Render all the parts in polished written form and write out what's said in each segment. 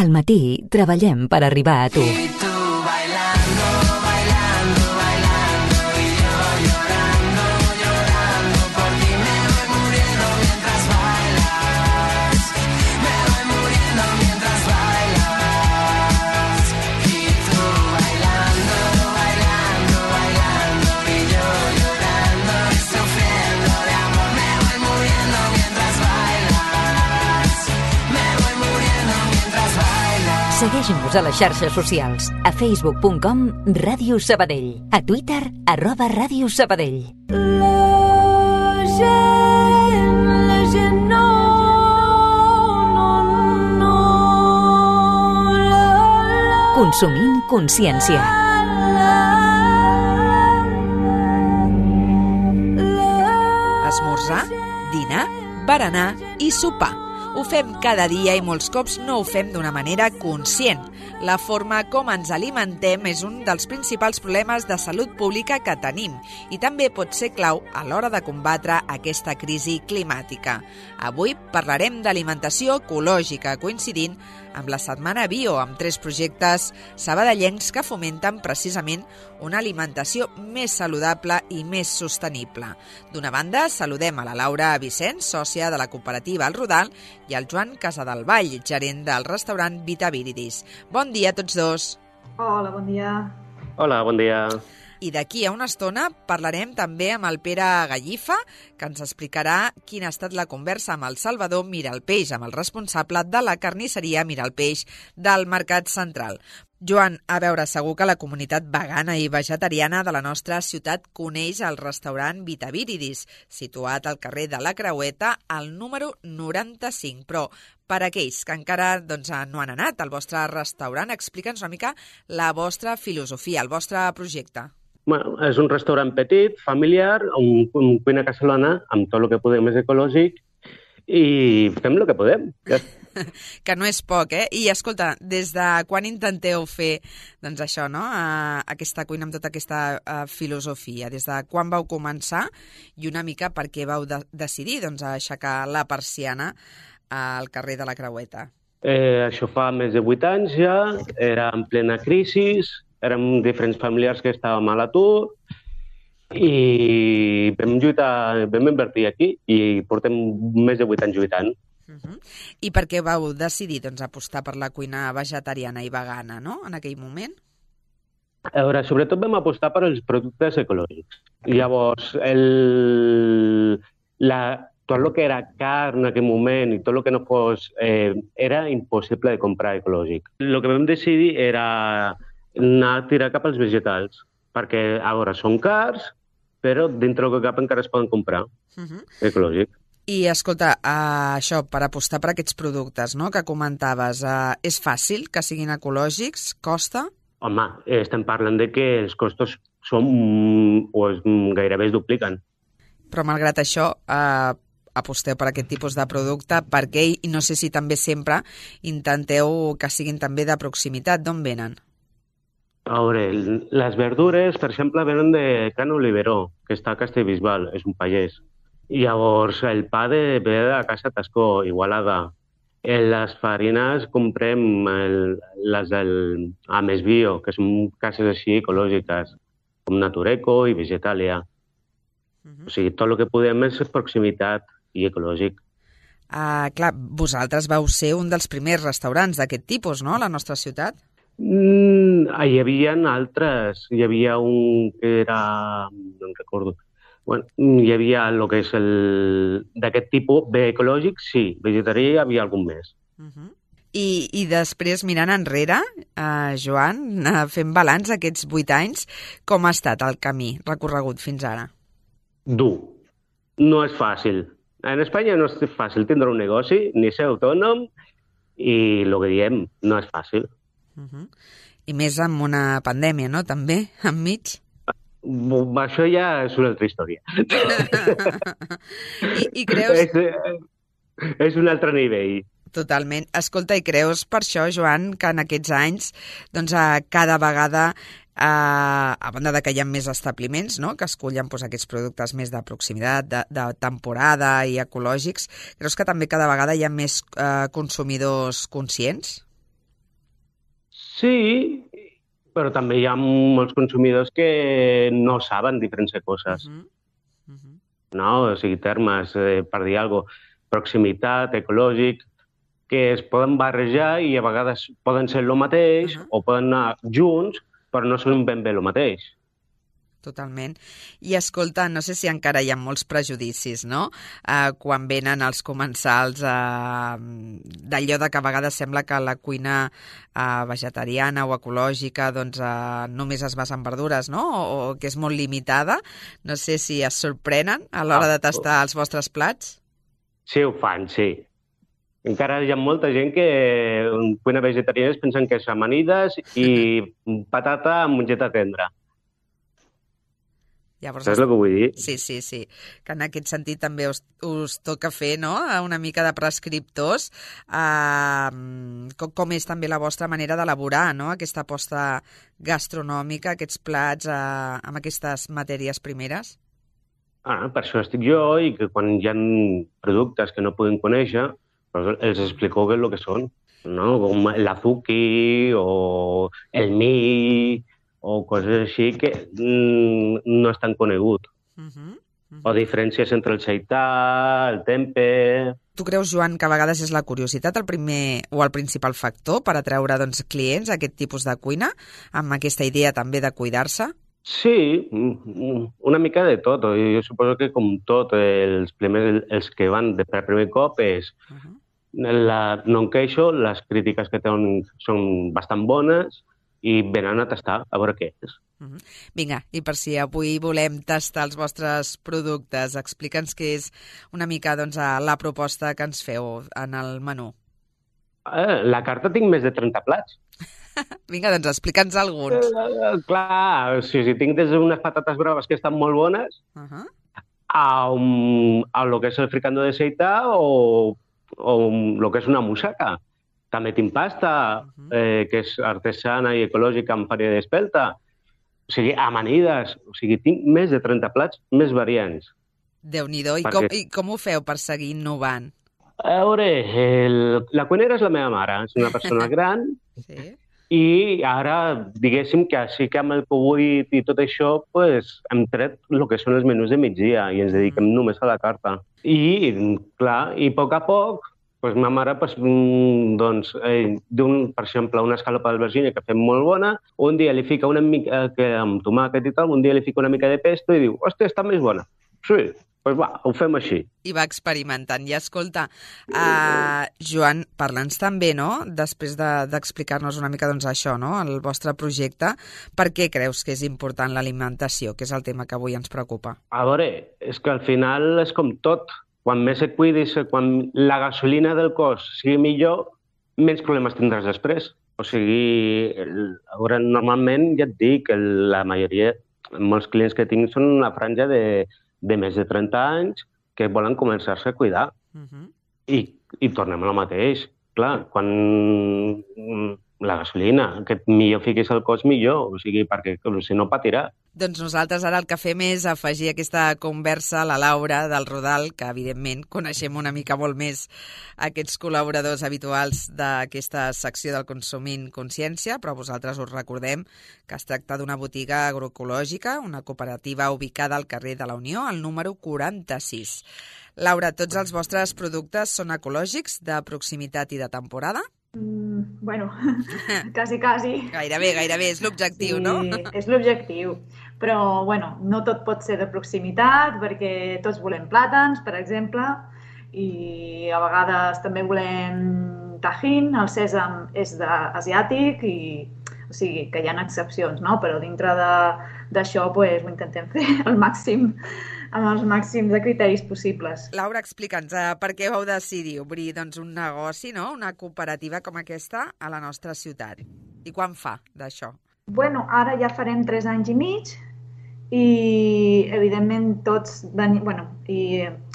Al matí treballem per arribar a tu. Segueix-nos a les xarxes socials, a facebook.com Ràdio Sabadell, a Twitter @Ràdio Sabadell. Consumint consciència. Esmorzar, dinar, berenar i sopar. Ho fem cada dia i molts cops no ho fem d'una manera conscient. La forma com ens alimentem és un dels principals problemes de salut pública que tenim i també pot ser clau a l'hora de combatre aquesta crisi climàtica. Avui parlarem d'alimentació ecològica, coincidint amb la Setmana Bio, amb 3 projectes sabadellencs que fomenten precisament una alimentació més saludable i més sostenible. D'una banda, saludem a la Laura Vicent, sòcia de la cooperativa El Rodal, i al Joan Casadevall, gerent del restaurant Vita Viridis. Bon dia a tots dos. Hola, bon dia. Hola, bon dia. I d'aquí a una estona parlarem també amb el Pere Gallifa, que ens explicarà quina ha estat la conversa amb el Salvador Miralpeix, amb el responsable de la carnisseria Miralpeix del Mercat Central. Joan, a veure, segur que la comunitat vegana i vegetariana de la nostra ciutat coneix el restaurant Vita Viridis, situat al carrer de la Creueta, al número 95. Però per aquells que encara no han anat al vostre restaurant, explica'ns una mica la vostra filosofia, el vostre projecte. Bueno, és un restaurant petit, familiar, un cuina casolana, amb tot el que podem és ecològic, i fem el que podem. Que no és poc, eh? I escolta, des de quan intenteu fer això, no? Aquesta cuina amb tota aquesta filosofia? Des de quan vau començar i una mica per què vau decidir aixecar la persiana al carrer de la Creueta? Això fa més de 8 anys ja, era en plena crisi, érem diferents familiars que estàvem a l'atur i vam lluitar, vam invertir aquí i portem més de 8 anys lluitant. I per què vau decidir apostar per la cuina vegetariana i vegana, no?, en aquell moment? A veure, sobretot vam apostar per els productes ecològics. Llavors, tot el que era carn en aquell moment i tot el que no fos, era impossible de comprar ecològic. El que vam decidir era anar a tirar cap als vegetals, perquè, a veure, són cars, però dintre del que cap encara es poden comprar, ecològic. I, escolta, això, per apostar per aquests productes, no?, que comentaves, és fàcil que siguin ecològics? Costa? Home, estem parlant de que els costos gairebé es dupliquen. Però, malgrat això, aposteu per aquest tipus de producte, perquè, i no sé si també sempre intenteu que siguin també de proximitat. D'on venen? A veure, les verdures, per exemple, venen de Can Oliveró, que està a Castellbisbal, és un pagès. Llavors, el pa ve de la Casa Tascó, Igualada. Les farines comprem les del Ames Bio, que són cases així ecològiques, com Natureco i Vegetalia. O sigui, tot el que podem és proximitat i ecològic. Clar, vosaltres vau ser un dels primers restaurants d'aquest tipus, no?, a la nostra ciutat? Hi havia altres. Hi havia un que era... no em recordo. Bueno, hi havia el que és d'aquest tipus, bé ecològic, sí. Vegetarià hi havia algun més. I després, mirant enrere, Joan, fent balanç aquests 8 anys, com ha estat el camí recorregut fins ara? Dur. No és fàcil. En Espanya no és fàcil tindre un negoci, ni ser autònom, i el que diem, no és fàcil. I més amb una pandèmia, no?, també, enmig? Això ja és una altra història. I creus... És un altre nivell. Totalment. Escolta, i creus per això, Joan, que en aquests anys, cada vegada, a banda de que hi ha més establiments, no?, que escullen aquests productes més de proximitat, de temporada i ecològics, creus que també cada vegada hi ha més consumidors conscients? Sí, però també hi ha molts consumidors que no saben diferenciar coses, no? O sigui, termes, per dir alguna cosa, proximitat, ecològic, que es poden barrejar i a vegades poden ser el mateix o poden anar junts, però no són ben bé el mateix. Totalment. I escolta, no sé si encara hi ha molts prejudicis, no? Quan venen els comensals d'allò de que a vegades sembla que la cuina vegetariana o ecològica doncs, només es basa en verdures, no? O que és molt limitada. No sé si es sorprenen a l'hora de tastar els vostres plats. Sí, ho fan, sí. Encara hi ha molta gent que en cuina vegetariana es pensen que és amanides i patata amb mongeta tendra. Llavors, saps el que vull dir? Sí. Que en aquest sentit també us toca fer, no?, una mica de prescriptors. Com és també la vostra manera d'elaborar, no?, aquesta aposta gastronòmica, aquests plats amb aquestes matèries primeres? Per això estic jo i que quan hi ha productes que no podem conèixer, els explico què és el que són, no? Com l'azuki o el mill, o coses així que no és tan conegut. O diferències entre el seità, el tempe... Tu creus, Joan, que a vegades és la curiositat el primer o el principal factor per atreure clients a aquest tipus de cuina, amb aquesta idea també de cuidar-se? Sí, una mica de tot. Jo suposo que com tot, els que van per primer cop és... No em queixo, les crítiques que tenen són bastant bones, i venen a tastar, a veure què és. Vinga, i per si avui volem tastar els vostres productes, explica'ns què és una mica la proposta que ens feu en el menú. La carta tinc més de 30 plats. Vinga, doncs explica'ns alguns. Clar, si tinc des d'unes patates braves que estan molt bones, a lo que és el fricandó de seità o lo que és una musaca. També tinc pasta, que és artesana i ecològica amb farina d'espelta. O sigui, amanides. O sigui, tinc més de 30 plats, més variants. Déu-n'hi-do. I com ho feu per seguir innovant? A veure, la cuinera és la meva mare. És una persona gran. Sí. I ara, diguéssim que sí que amb el Covid i tot això, hem tret el que són els menús de migdia i ens dediquem només a la carta. I, clar, i a poc, ma mare, per exemple, una escalopa d'albergínia que fem molt bona, un dia li fica una mica amb tomàquet i tal, un dia li fica una mica de pesto i diu, hòstia, està més bona. Sí, doncs va, ho fem així. I va experimentant. I escolta, Joan, parla'ns també, no?, després d'explicar-nos una mica això, no?, el vostre projecte, per què creus que és important l'alimentació, que és el tema que avui ens preocupa? A veure, és que al final és com tot. Quan més et cuidis, quan la gasolina del cos sigui millor, menys problemes tindràs després. O sigui, normalment, ja et dic, la majoria, molts clients que tinc són una franja de més de 30 anys que volen començar-se a cuidar. I tornem al mateix. Clar, quan la gasolina, que millor fiquis al cos millor, o sigui, perquè si no patirà. Doncs nosaltres ara el que fem és afegir aquesta conversa a la Laura del Rodal, que evidentment coneixem una mica molt més aquests col·laboradors habituals d'aquesta secció del Consumint Consciència, però vosaltres us recordem que es tracta d'una botiga agroecològica, una cooperativa ubicada al carrer de la Unió, al número 46. Laura, tots els vostres productes són ecològics, de proximitat i de temporada? Bueno, quasi. Gairebé, és l'objectiu, sí, no? És l'objectiu, però bueno, no tot pot ser de proximitat perquè tots volem plàtans, per exemple, i a vegades també volem tajín, el sèsam és asiàtic, o sigui que hi ha excepcions, no? Però dintre d'això ho intentem fer amb els màxims de criteris possibles. Laura, explica'ns, per què vau decidir obrir un negoci, no? Una cooperativa com aquesta a la nostra ciutat? I quan fa d'això? Bueno, ara ja farem 3 anys i mig i, evidentment,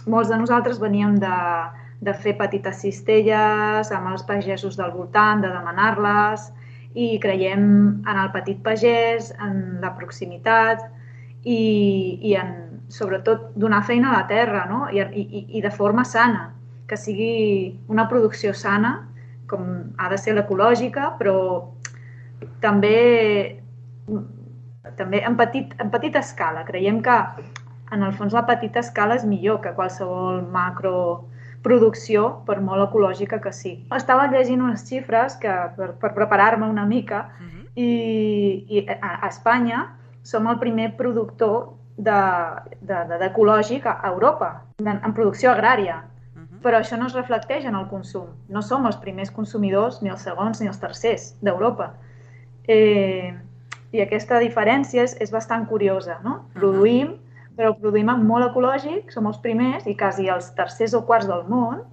molts de nosaltres veníem de fer petites cistelles amb els pagesos del voltant, de demanar-les, i creiem en el petit pagès, en la proximitat i en sobretot donar feina a la terra, no? I de forma sana, que sigui una producció sana, com ha de ser l'ecològica, però també en petita escala. Creiem que en el fons la petita escala és millor que qualsevol macroproducció, per molt ecològica que sigui. Estava llegint unes xifres que, per preparar-me una mica, i a Espanya som el primer productor d'ecològic a Europa, en producció agrària. Però això no es reflecteix en el consum. No som els primers consumidors, ni els segons ni els tercers d'Europa. I aquesta diferència és bastant curiosa, no? Produïm, però produïm en molt ecològic, som els primers i quasi els tercers o quarts del món,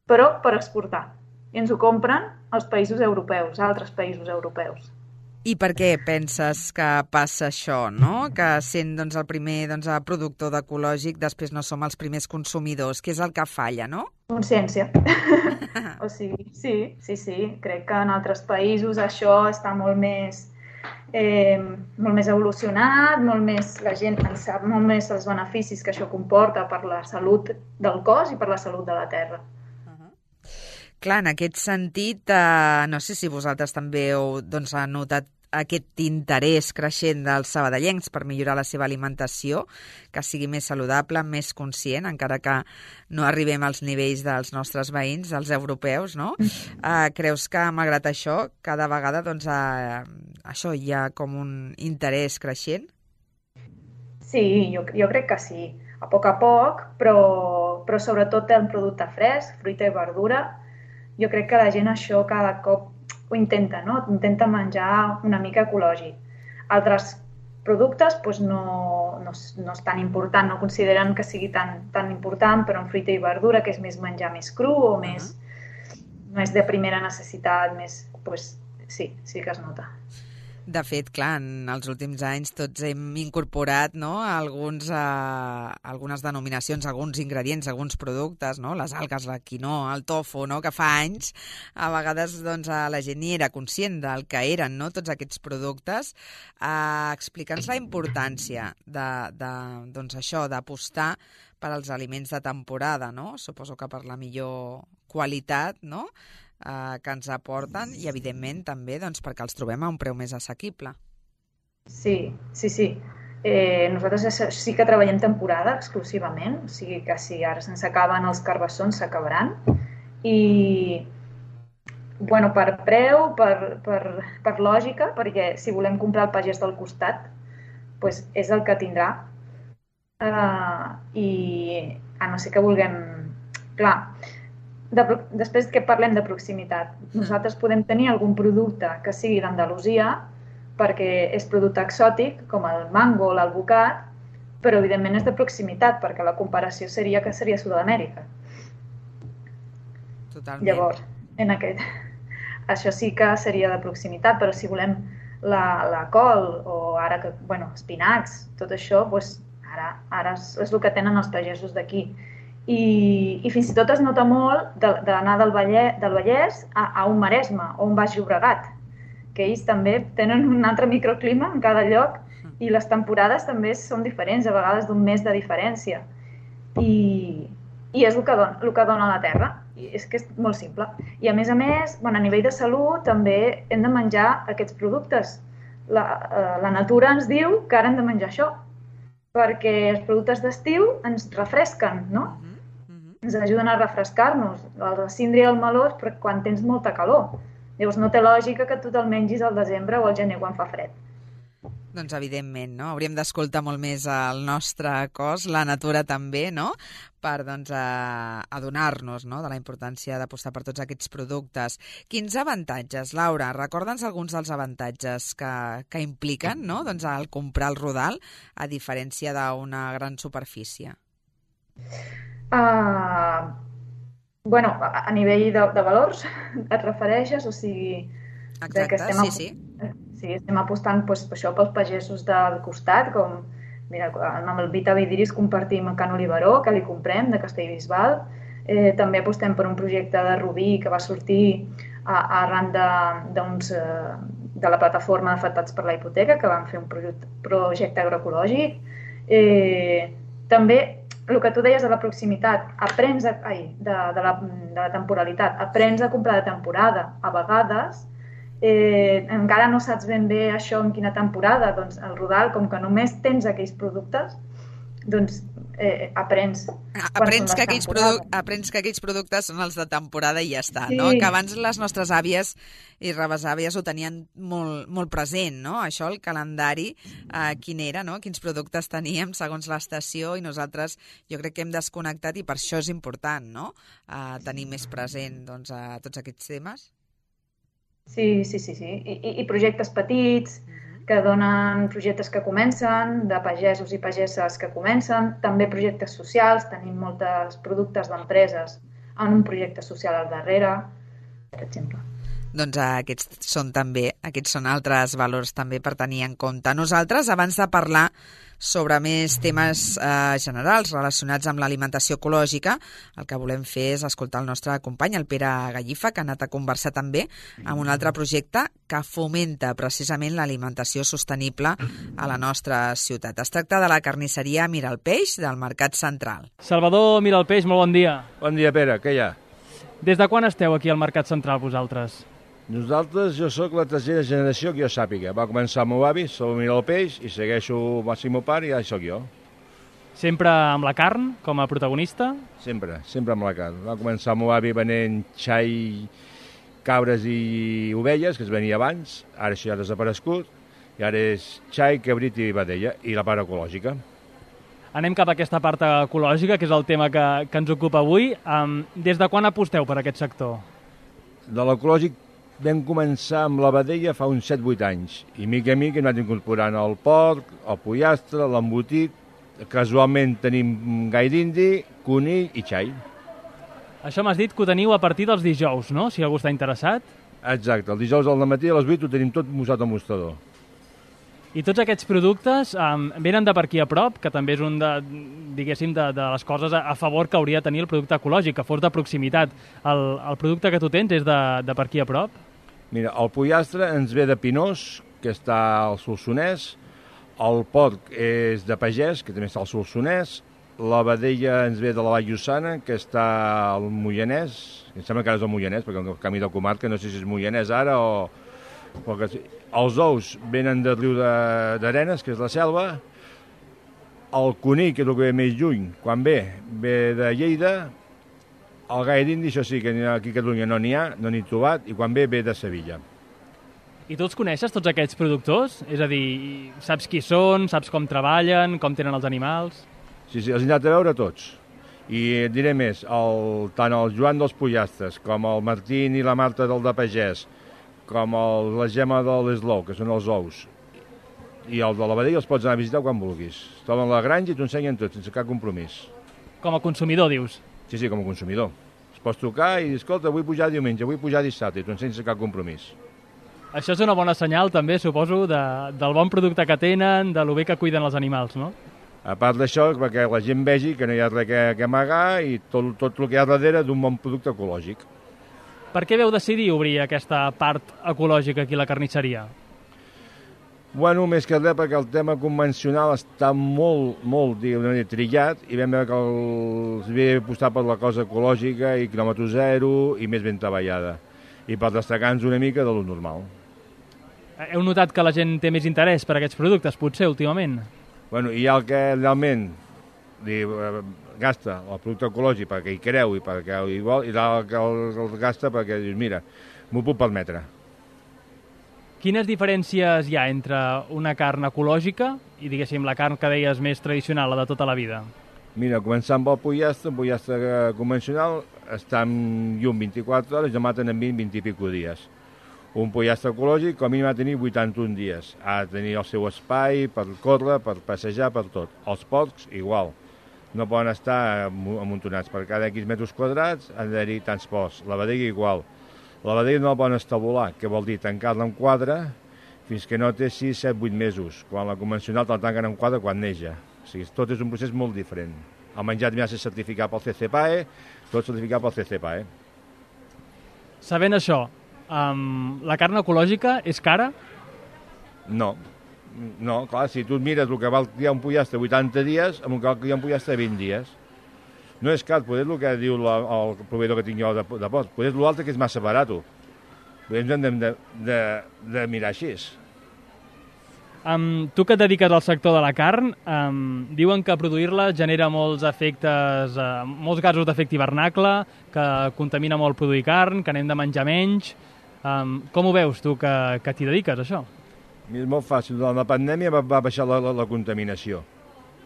però per exportar. I ens ho compren els països europeus, altres països europeus. I per què penses que passa això, no? Que sent el primer productor d'ecològic, després no som els primers consumidors. Què és el que falla, no? Consciència. O sigui, sí. Crec que en altres països això està molt més evolucionat, la gent en sap molt més els beneficis que això comporta per la salut del cos i per la salut de la terra. Clar, en aquest sentit, no sé si vosaltres també heu notat aquest interès creixent dels sabadellencs per millorar la seva alimentació, que sigui més saludable, més conscient, encara que no arribem als nivells dels nostres veïns, dels europeus, no? Creus que, malgrat això, cada vegada això hi ha com un interès creixent? Sí, jo crec que sí, a poc, però sobretot en producte fresc, fruita i verdura. Jo crec que la gent això cada cop ho intenta, no? Intenta menjar una mica ecològic. Altres productes no és tan important, no consideren que sigui tan important, però en fruita i verdura, que és més menjar més cru o més de primera necessitat, sí que es nota. De fet, clar, en els últims anys tots hem incorporat algunes denominacions, alguns ingredients, alguns productes, les algues, la quinoa, el tofu, que fa anys a vegades la gent ni era conscient del que eren tots aquests productes. Explica'ns la importància d'apostar per als aliments de temporada, no? Suposo que per la millor qualitat, no?, que ens aporten i, evidentment, també perquè els trobem a un preu més assequible. Sí. Nosaltres sí que treballem temporada exclusivament, o sigui que si ara se'ns acaben els carbassons, s'acabaran. I, per preu, per lògica, perquè si volem comprar el pagès del costat, és el que tindrà. I a no ser que vulguem... Clar, després que parlem de proximitat, nosaltres podem tenir algun producte que sigui d'Andalusia perquè és producte exòtic, com el mango o l'alvocat, però evidentment és de proximitat, perquè la comparació seria que seria Sud-amèrica. Totalment. Llavors, això sí que seria de proximitat, però si volem la col o ara, espinacs, tot això, ara és el que tenen els pagesos d'aquí. I fins i tot es nota molt d'anar del Vallès a un Maresme o un Baix Llobregat, que ells també tenen un altre microclima en cada lloc i les temporades també són diferents, a vegades d'un mes de diferència. I és el que dona la terra, i és que és molt simple. I a més, a nivell de salut també hem de menjar aquests productes. La natura ens diu que ara hem de menjar això, perquè els productes d'estiu ens refresquen, no? Ens ajuden a refrescar-nos, el síndria i el meló quan tens molta calor. Llavors no té lògica que tu te'l mengis al desembre o al gener quan fa fred. Doncs evidentment, no? Hauríem d'escoltar molt més el nostre cos, la natura també, no? Per adonar-nos de la importància d'apostar per tots aquests productes. Quins avantatges, Laura? Recorda'ns alguns dels avantatges que impliquen, no?, al comprar el rodal, a diferència d'una gran superfície. A nivell de valors et refereixes? O sigui... Exacte, sí. Sí, estem apostant per això pels pagesos del costat, com amb el Vita Vidiris compartim Can Oliveró, que li comprem, de Castellbisbal. També apostem per un projecte de Rubí que va sortir arran de la plataforma d'afectats per la hipoteca, que van fer un projecte agroecològic. També el que tu deies de la proximitat, de la temporalitat, aprens a comprar de temporada. A vegades encara no saps ben bé això en quina temporada, doncs el Rodal, com que només tens aquells productes, doncs aprens que aquells productes són els de temporada i ja està, sí. No? Que abans les nostres àvies i rebesàvies ho tenien molt, molt present, no? Això, el calendari, quin era, no? Quins productes teníem segons l'estació, i nosaltres jo crec que hem desconnectat, i per això és important, no? Tenir més present, doncs, tots aquests temes. Sí. I projectes petits, que donen projectes que comencen, de pagesos i pageses que comencen, també projectes socials, tenim molts productes d'empreses en un projecte social al darrere, per exemple. Doncs aquests són altres valors també per tenir en compte. Nosaltres, abans de parlar sobre més temes generals relacionats amb l'alimentació ecològica, el que volem fer és escoltar el nostre company, el Pere Gallifa, que ha anat a conversar també amb un altre projecte que fomenta precisament l'alimentació sostenible a la nostra ciutat. Es tracta de la carnisseria Miralpeix del Mercat Central. Salvador Miralpeix, molt bon dia. Bon dia, Pere, què hi ha? Des de quan esteu aquí al Mercat Central, vosaltres? Nosaltres, jo sóc la tercera generació que jo sàpiga. Va començar el meu avi, Salvador Miralpeix, i segueixo el meu pare i ja sóc jo. Sempre amb la carn, com a protagonista? Sempre amb la carn. Va començar el meu avi venent xai, cabres i ovelles, que es venia abans, ara això ja ha desaparegut, i ara és xai, cabrit i vedella, i la part ecològica. Anem cap a aquesta part ecològica, que és el tema que ens ocupa avui. Des de quan aposteu per aquest sector? De l'ecològic vam començar amb la vedella fa uns 7-8 anys, i mica a mica hem anat incorporant el porc, el pollastre, l'embotit, casualment tenim gai d'indi, conill i xai. Això m'has dit que ho teniu a partir dels dijous, no?, si algú està interessat. Exacte, el dijous al matí a les 8 ho tenim tot posat al mostrador. I tots aquests productes venen de per aquí a prop, que també és un de les coses a favor que hauria de tenir el producte ecològic, que fos de proximitat. El producte que tu tens és de per aquí a prop? Mira, el pollastre ens ve de Pinós, que està al Solsonès, el porc és de Pagès, que també està al Solsonès, la vedella ens ve de la Vall Llossana, que està al Moianès, em sembla que ara és el Moianès, perquè el camí del comarca no sé si és Moianès ara o... Els ous venen del riu d'Arenes, que és la Selva, el conill, que és el que ve més lluny, quan ve de Lleida, el gai d'indi, això sí, que aquí a Catalunya no n'hi ha, no n'hi he trobat, i quan ve de Sevilla. I tu els coneixes, tots aquests productors? És a dir, saps qui són, saps com treballen, com tenen els animals? Sí, els he anat a veure tots. I et diré més, tant el Joan dels Pollastres, com el Martín i la Marta del de Pagès, com la Gemma de l'Eslou, que són els ous, i el de la vedella els pots anar a visitar quan vulguis. Es troben a la granja i t'ho ensenyen tot, sense cap compromís. Com a consumidor, dius? Sí, com a consumidor. Es pots trucar i dir, escolta, vull pujar diumenge, vull pujar dissabte, i t'ho ensenyen sense cap compromís. Això és una bona senyal, també, suposo, del bon producte que tenen, de lo bé que cuiden els animals, no? A part d'això, perquè la gent vegi que no hi ha res que amagar i tot el que hi ha darrere d'un bon producte ecològic. Per què veu decidir obrir aquesta part ecològica aquí a la carnisseria? Bueno, més que res perquè el tema convencional està molt trillat i vam veure que els havia apostat per la cosa ecològica i quilòmetre zero i més ben treballada. I per destacar-nos una mica de lo normal. Heu notat que la gent té més interès per aquests productes, potser, últimament? Bueno, hi ha el que realment gasta el producte ecològic perquè hi creu i perquè hi vol, i el que el gasta perquè dius, mira, m'ho puc permetre. Quines diferències hi ha entre una carn ecològica i, diguéssim, la carn que deies més tradicional, la de tota la vida? Mira, començant amb el pollastre convencional està en llum 24 hores i el maten en 20 i pico dies. Un pollastre ecològic com a mínim ha de tenir 81 dies. Ha de tenir el seu espai per córrer, per passejar, per tot. Els porcs, igual. No poden estar amuntonats. Per cada X metres quadrats han d'haver-hi tants porcs. La vedella igual. La vedella no la poden estabular, que vol dir tancar-la en quadre fins que no té 6, 7, 8 mesos. Quan la convencional te'l tanquen en quadre quan neja. O sigui, tot és un procés molt diferent. El menjar també ha de ser certificat pel CCPAE, tot certificat pel CCPAE. Sabent això, la carn ecològica és cara? No, clar, si tu mires el que val criar un pollastre 80 dies, amb el que val criar un pollastre 20 dies. No és car, potser el que diu el proveïdor que tinc jo de porc, potser l'altre que és massa barat. Ens hem de mirar així. Tu que et dediques al sector de la carn, diuen que produir-la genera molts efectes, molts gasos d'efecte hivernacle, que contamina molt produir carn, que anem de menjar menys. Com ho veus tu que t'hi dediques, això? És molt fàcil. Durant la pandèmia va baixar la contaminació.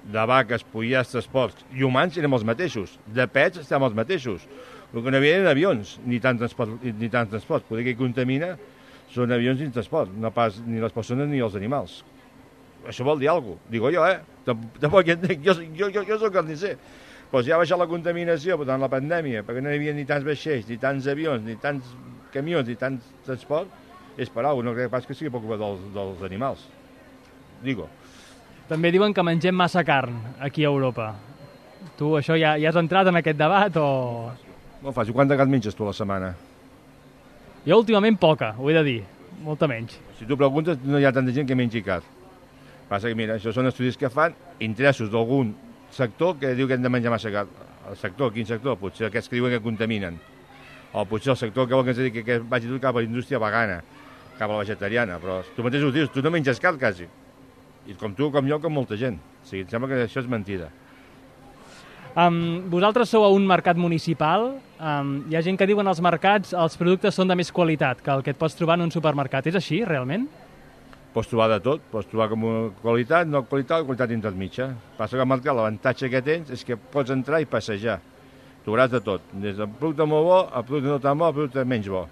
De vaques, pollastres, porcs i humans érem els mateixos. De pets estem els mateixos. El que no havia eren avions, ni tant transport. Poder que hi contamina són avions i transport, no pas ni les persones ni els animals. Això vol dir alguna cosa. Digo jo, Tampoc entenc. Jo soc carnisser. Però si ha baixat la contaminació durant la pandèmia, perquè no hi havia ni tants vaixells, ni tants avions, ni tants camions, ni tant transport, és per alguna cosa. No crec pas que sigui per culpa dels animals. Digo. També diuen que mengem massa carn aquí a Europa. Tu això ja has entrat en aquest debat o...? Molt fàcil. Quanta carn menges tu a la setmana? Jo últimament poca, ho he de dir. Molta menys. Si tu preguntes, no hi ha tanta gent que mengi carn. Passa que, mira, això són estudis que fan interessos d'algun sector que diu que hem de menjar massa carn. El sector, quin sector? Potser aquests que diuen que contaminen. O potser el sector que vol que ens dediqui que vagi tot cap a la indústria vegana, cap a la vegetariana. Però tu mateix ho dius, tu no menges carn quasi. I com tu, com jo, com molta gent. O sigui, em sembla que això és mentida. Vosaltres sou a un mercat municipal. Hi ha gent que diuen als mercats els productes són de més qualitat que el que et pots trobar en un supermercat. És així, realment? Pots trobar de tot. Pots trobar com qualitat, no qualitat intermitja. Passa que al mercat l'avantatge que tens és que pots entrar i passejar. Trobaràs de tot. Des del producte molt bo, al producte no tan bo, al producte menys bo.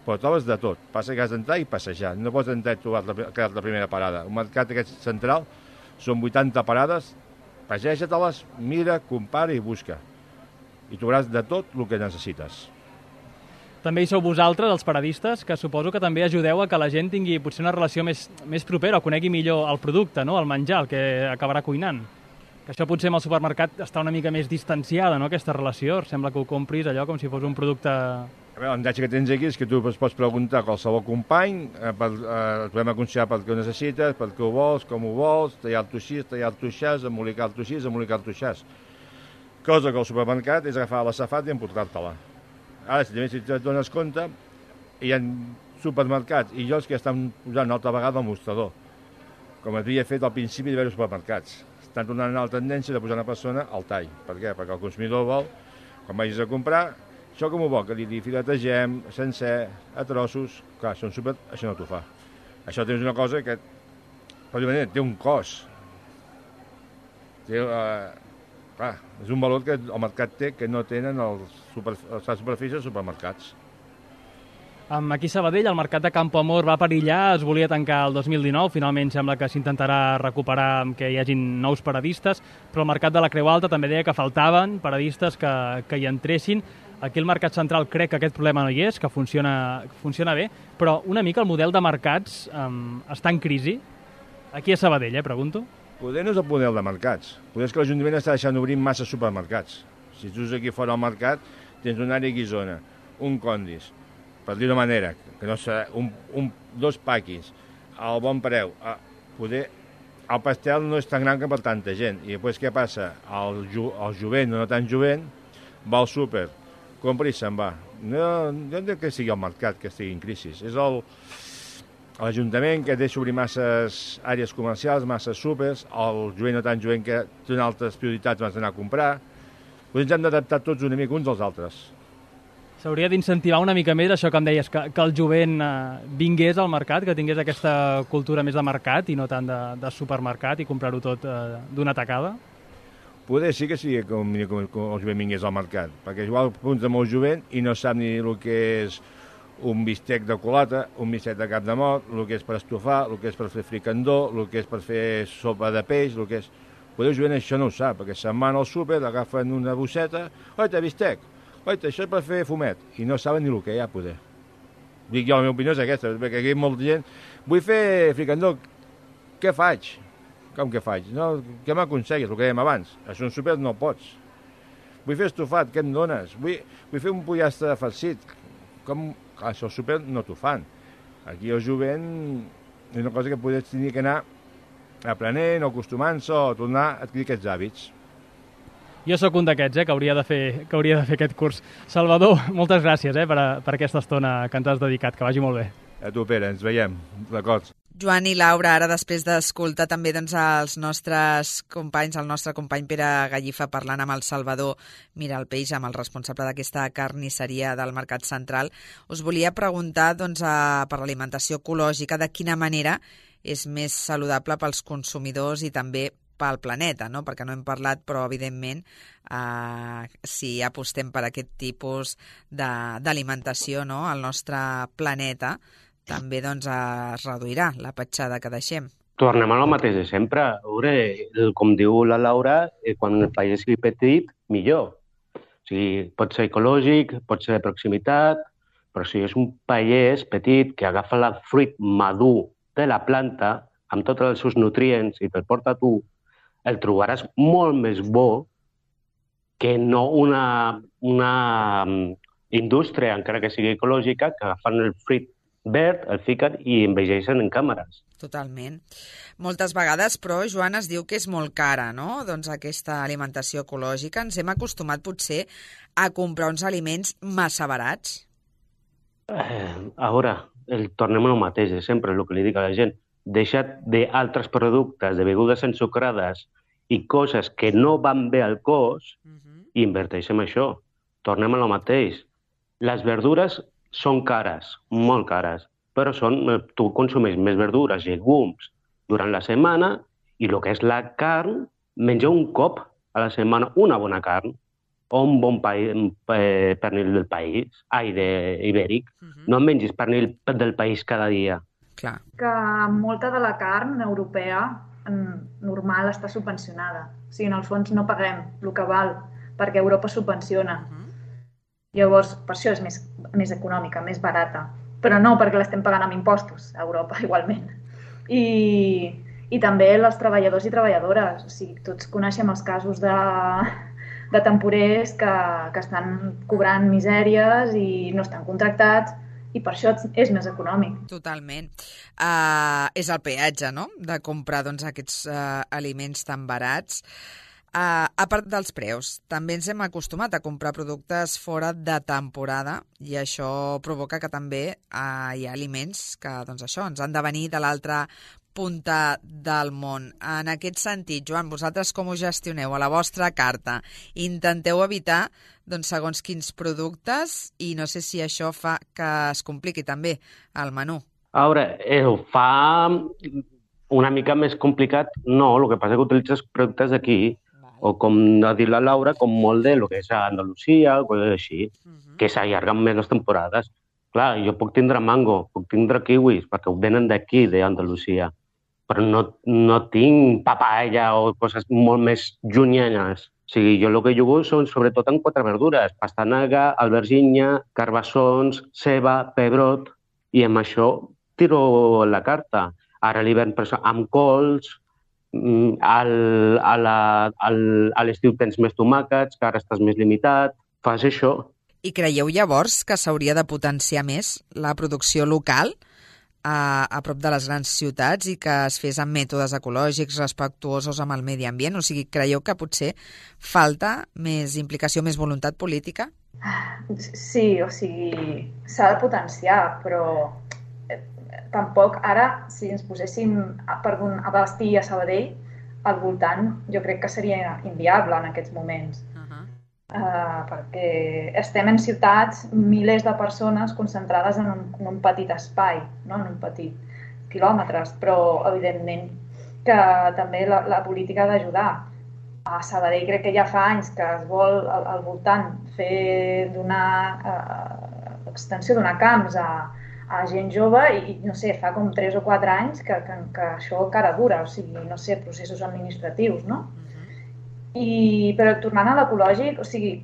Però trobes de tot. Passa que has d'entrar i passejar. No pots entrar i trobar la primera parada. Un mercat aquest central són 80 parades. Passeja-te-les, mira, compara i busca. I trobaràs de tot el que necessites. També hi sou vosaltres, els paradistes, que suposo que també ajudeu a que la gent tingui potser una relació més propera o conegui millor el producte, no? El menjar, el que acabarà cuinant. Que això potser amb el supermercat està una mica més distanciada, no?, aquesta relació. Sembla que ho compris allò com si fos un producte... L'avantatge que tens aquí és que tu pots preguntar a qualsevol company, et podem aconsellar pel que ho necessites, pel que ho vols, com ho vols, tallar-t'ho així, tallar-t'ho així, embolicar-t'ho així, embolicar-t'ho així. Cosa que al supermercat és agafar la safata i emportar-te-la. Ara, si et dones compte, hi ha supermercats i llocs que estan posant una altra vegada al mostrador, com havia fet al principi de diversos supermercats. Estan tornant a la tendència de posar una persona al tall. Per què? Perquè el consumidor vol, quan vagis a comprar, això com ho vol, que li filetegem, sencer, a trossos. Clar, això no t'ho fa. Això tens una cosa que, per dir manera, té un cost. Clar, és un valor que el mercat té que no tenen les superfícies dels supermercats. Aquí a Sabadell, el mercat de Campo Amor va perillar, es volia tancar el 2019, finalment sembla que s'intentarà recuperar amb que hi hagin nous paradistes, però el mercat de la Creu Alta també deia que faltaven paradistes que hi entressin. Aquí el mercat central crec que aquest problema no hi és, que funciona bé, però una mica el model de mercats està en crisi. Aquí a Sabadell, pregunto. Poder no és el model de mercats. Poder és que l'Ajuntament està deixant obrir massa supermercats. Si tu aquí fora al mercat, tens un àrea Guisona, un Condis, per dir-ho manera, que no sé, dos paquis, al bon preu. Poder, el pastel no és tan gran que per tanta gent. I després què passa? El jovent, no tan jovent, va al súper, compra i se'n va. No entenc que sigui el mercat que estigui en crisi. És l'Ajuntament que deixa obrir masses àrees comercials, masses súpers, el jovent no tan jovent que té altres prioritats abans d'anar a comprar. Ens hem d'adaptar tots una mica uns als altres. S'hauria d'incentivar una mica més això que em deies, que el jovent vingués al mercat, que tingués aquesta cultura més de mercat i no tant de supermercat i comprar-ho tot d'una tacada? Poder sí que sigui com el jovent vingués al mercat, perquè igual apunta molt jovent i no sap ni el que és un bistec de culata, un bistec de cap de mort, el que és per estofar, el que és per fer fricandó, el que és per fer sopa de peix, el que és... Poder el jovent això no ho sap, perquè se'n van al súper, agafen una bosseta, oita, bistec, oita, això és per fer fumet, i no saben ni el que hi ha, poder. Dic jo, la meva opinió és aquesta, perquè aquí hi ha molta gent, vull fer fricandó, què faig? Com que faig? No, què m'aconseguis, el que dèiem abans? Això en súper no pots. Vull fer estofat, què em dones? Vull fer un pollastre farcit. Com? Això al súper no t'ho fan. Aquí el jovent és una cosa que podries tenir que anar aprenent o acostumant-se o tornar a adquirir aquests hàbits. Jo sóc un d'aquests, que hauria de fer aquest curs. Salvador, moltes gràcies per aquesta estona que ens has dedicat. Que vagi molt bé. A tu, Pere, ens veiem. D'acord. Joan i Laura, ara després d'escoltar també els nostres companys, el nostre company Pere Gallifa parlant amb el Salvador Miralpeix, amb el responsable d'aquesta carnisseria del Mercat Central, us volia preguntar per l'alimentació ecològica, de quina manera és més saludable pels consumidors i també pel planeta, no? Perquè no hem parlat, però evidentment si apostem per aquest tipus d'alimentació, no? Al nostre planeta també es reduirà la petjada que deixem. Tornem a lo mateix de sempre. Com diu la Laura, quan el país sigui petit, millor. O sigui, pot ser ecològic, pot ser de proximitat, però si és un país petit que agafa el fruit madur de la planta, amb tots els seus nutrients, i te'l porta a tu, el trobaràs molt més bo que no una indústria, encara que sigui ecològica, que agafen el fruit verd, el fiquen i envegeixen en càmeres. Totalment. Moltes vegades, però, Joan, es diu que és molt cara, no?, aquesta alimentació ecològica. Ens hem acostumat, potser, a comprar uns aliments massa barats? Tornem al mateix, sempre el que li dic a la gent. Deixa't d'altres productes, de begudes ensucrades i coses que no van bé al cos i inverteix en això. Tornem al mateix. Les verdures són cares, molt cares, però tu consumeix més verdures, llegums, durant la setmana, i el que és la carn, menja un cop a la setmana una bona carn, o un bon pernil del país, ibèric. No mengis pernil del país cada dia. Clar. Que molta de la carn europea normal està subvencionada. O sigui, en el fons no paguem el que val, perquè Europa subvenciona. Llavors, per això és més econòmica, més barata. Però no perquè l'estem pagant amb impostos a Europa, igualment. I també els treballadors i treballadores. O sigui, tots coneixem els casos de temporers que estan cobrant misèries i no estan contractats, i per això és més econòmic. Totalment. És el peatge, no?, de comprar aquests aliments tan barats. A part dels preus, també ens hem acostumat a comprar productes fora de temporada i això provoca que també hi ha aliments que ens han de venir de l'altra punta del món. En aquest sentit, Joan, vosaltres com ho gestioneu a la vostra carta? Intenteu evitar segons quins productes i no sé si això fa que es compliqui també el menú. Ho fa una mica més complicat. No, el que passa és que utilitzes productes d'aquí, o com ha dit la Laura, com molt de lo que és a Andalusia, o coses així, que s'allarguen més les temporades. Clar, jo puc tindre mango, puc tindre kiwis, perquè ho venen d'aquí, d'Andalusia, però no tinc papaya o coses molt més llunyanes. O sigui, jo el que jugo són sobretot en 4 verdures: pastanaga, albergínia, carbassons, ceba, pebrot, i amb això tiro la carta. Ara a l'hivern amb cols, a l'estiu tens més tomàquets, que ara estàs més limitat, fas això. I creieu llavors que s'hauria de potenciar més la producció local a prop de les grans ciutats i que es fes amb mètodes ecològics respectuosos amb el medi ambient? O sigui, creieu que potser falta més implicació, més voluntat política? Sí, o sigui, s'ha de potenciar, però tampoc ara, si ens poséssim a Bastí i a Sabadell, al voltant, jo crec que seria inviable en aquests moments. Perquè estem en ciutats, milers de persones concentrades en un petit espai, no? En un petit quilòmetres, però evidentment que també la política ha d'ajudar. A Sabadell crec que ja fa anys que es vol al voltant fer extensió donar camps a gent jove i, no sé, fa com 3 o 4 anys que això encara dura, o sigui, no sé, processos administratius, no? Però tornant a l'ecològic, o sigui,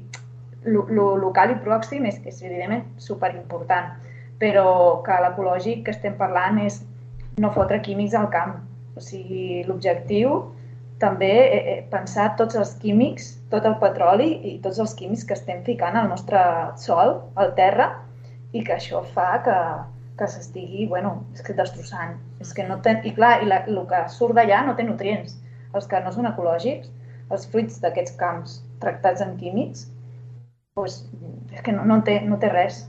lo local i pròxim és evidentment superimportant, però que l'ecològic que estem parlant és no fotre químics al camp. O sigui, l'objectiu també pensar tots els químics, tot el petroli i tots els químics que estem ficant al nostre sòl, al terra, i que això fa que s'estigui, és que destrossant. I clar, el que surt d'allà no té nutrients. Els que no són ecològics, els fruits d'aquests camps tractats amb químics, doncs és que no té res.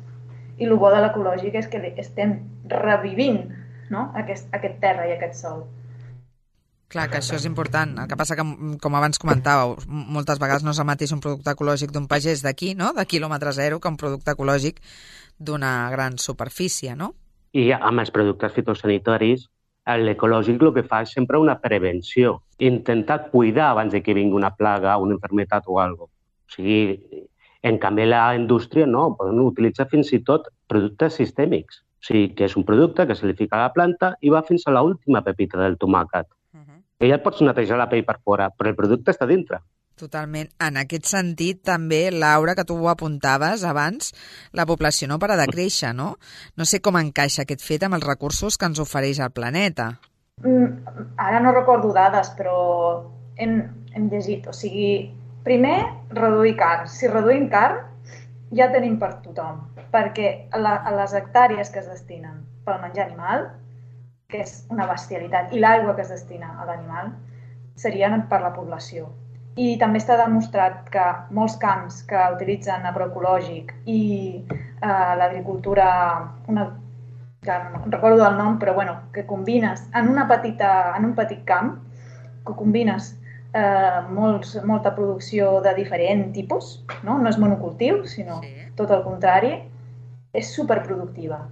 I el bo de l'ecològic és que estem revivint, no? aquest terra i aquest sol. Clar, que això és important. El que passa que, com abans comentàveu, moltes vegades no és el mateix un producte ecològic d'un pagès d'aquí, no?, de quilòmetre zero, que un producte ecològic d'una gran superfície, no? I amb els productes fitosanitaris, l'ecològic el que fa és sempre una prevenció, intentar cuidar abans de que vingui una plaga, una malaltia o alguna cosa. O sigui, en canvi, la indústria no, poden utilitzar fins i tot productes sistèmics. O sigui, que és un producte que se li fica a la planta i va fins a l'última pepita del tomàquet. I ja et pots netejar la pell per fora, però el producte està dintre. Totalment. En aquest sentit, també, Laura, que tu ho apuntaves abans, la població no para de créixer, no? No sé com encaixa aquest fet amb els recursos que ens ofereix el planeta. Ara no recordo dades, però hem llegit. O sigui, primer, reduir carn. Si reduïm carn, ja tenim per tothom, perquè a les hectàrees que es destinen pel menjar animal, que és una bestialitat, i l'aigua que es destina a l'animal, serien per la població. I també està demostrat que molts camps que utilitzen agroecològic i l'agricultura, que no recordo el nom, però bueno, que combines en un petit camp, que combines molta producció de diferent tipus, no és monocultiu, sinó tot el contrari, és superproductiva,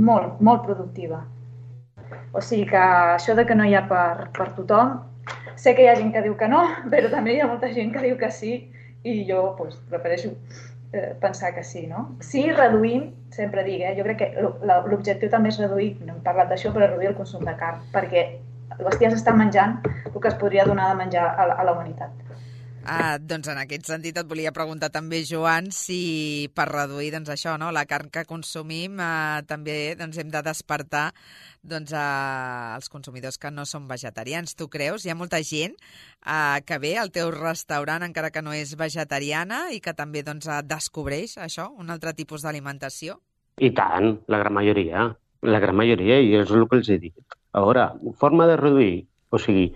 molt, molt productiva. O sigui que això de que no hi ha per tothom, sé que hi ha gent que diu que no, però també hi ha molta gent que diu que sí, i jo prefereixo pensar que sí, no? Sí, reduïm, sempre dic, jo crec que l'objectiu també és reduir, no hem parlat d'això, però reduir el consum de carn, perquè el bestiar s'està menjant el que es podria donar de menjar a la humanitat. Doncs en aquest sentit et volia preguntar també, Joan, si per reduir això, no, la carn que consumim també hem de despertar els consumidors que no són vegetarians. Tu creus? Hi ha molta gent que ve al teu restaurant encara que no és vegetariana i que també descobreix això, un altre tipus d'alimentació? I tant, la gran majoria, i és el que els he dit. A veure, forma de reduir, o sigui,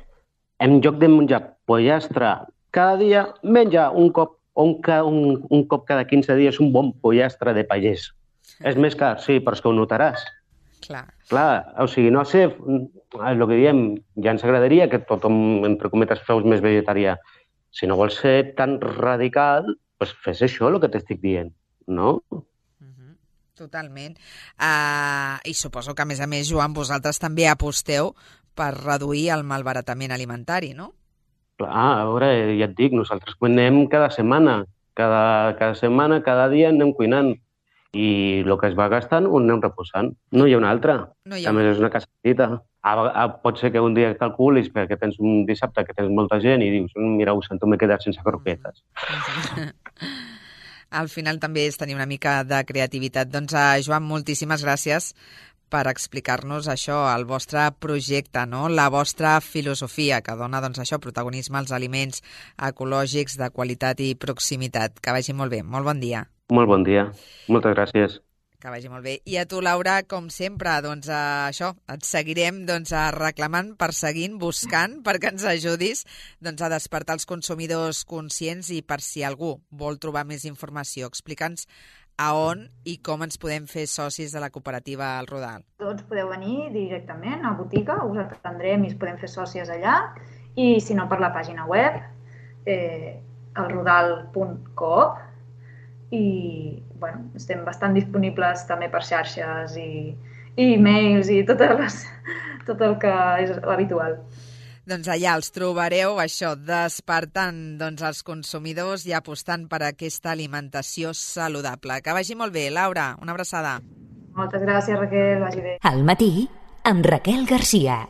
en lloc de menjar pollastre cada dia, menja un cop cada 15 dies un bon pollastre de pagès. És més car, sí, però és que ho notaràs. Clar, o sigui, no sé, el que diem, ja ens agradaria que tothom, entre cometes, fos més vegetarià. Si no vols ser tan radical, doncs fes això, el que t'estic dient, no? Totalment. I suposo que, a més, Joan, vosaltres també aposteu per reduir el malbaratament alimentari, no? Clar, a veure, ja et dic, nosaltres cuinem cada setmana. Cada setmana, cada dia anem cuinant. I el que es va gastant ho anem reposant. No hi ha una altra. A més, és una casa petita. Pot ser que un dia calculis perquè tens un dissabte que tens molta gent i dius, mira, ho sento, m'he quedat sense croquetes. Al final també és tenir una mica de creativitat. Doncs, Joan, moltíssimes gràcies per explicar-nos això, el vostre projecte, no? La vostra filosofia, que dona protagonisme als aliments ecològics de qualitat i proximitat. Que vagi molt bé. Molt bon dia. Molt bon dia. Moltes gràcies. Que vagi molt bé. I a tu, Laura, com sempre, això, et seguirem reclamant, perseguint, buscant, perquè ens ajudis a despertar els consumidors conscients i per si algú vol trobar més informació, explica'ns a on i com ens podem fer socis de la cooperativa El Rodal. Tots podeu venir directament a botiga, us atendrem i us podem fer sòcies allà, i si no per la pàgina web, elrodal.coop, i estem bastant disponibles també per xarxes i e-mails i tot el que és habitual. Doncs allà els trobareu, això, despertant els consumidors i apostant per aquesta alimentació saludable. Que vagi molt bé, Laura. Una abraçada. Moltes gràcies, Raquel. Vagi bé. Al matí, amb Raquel Garcia.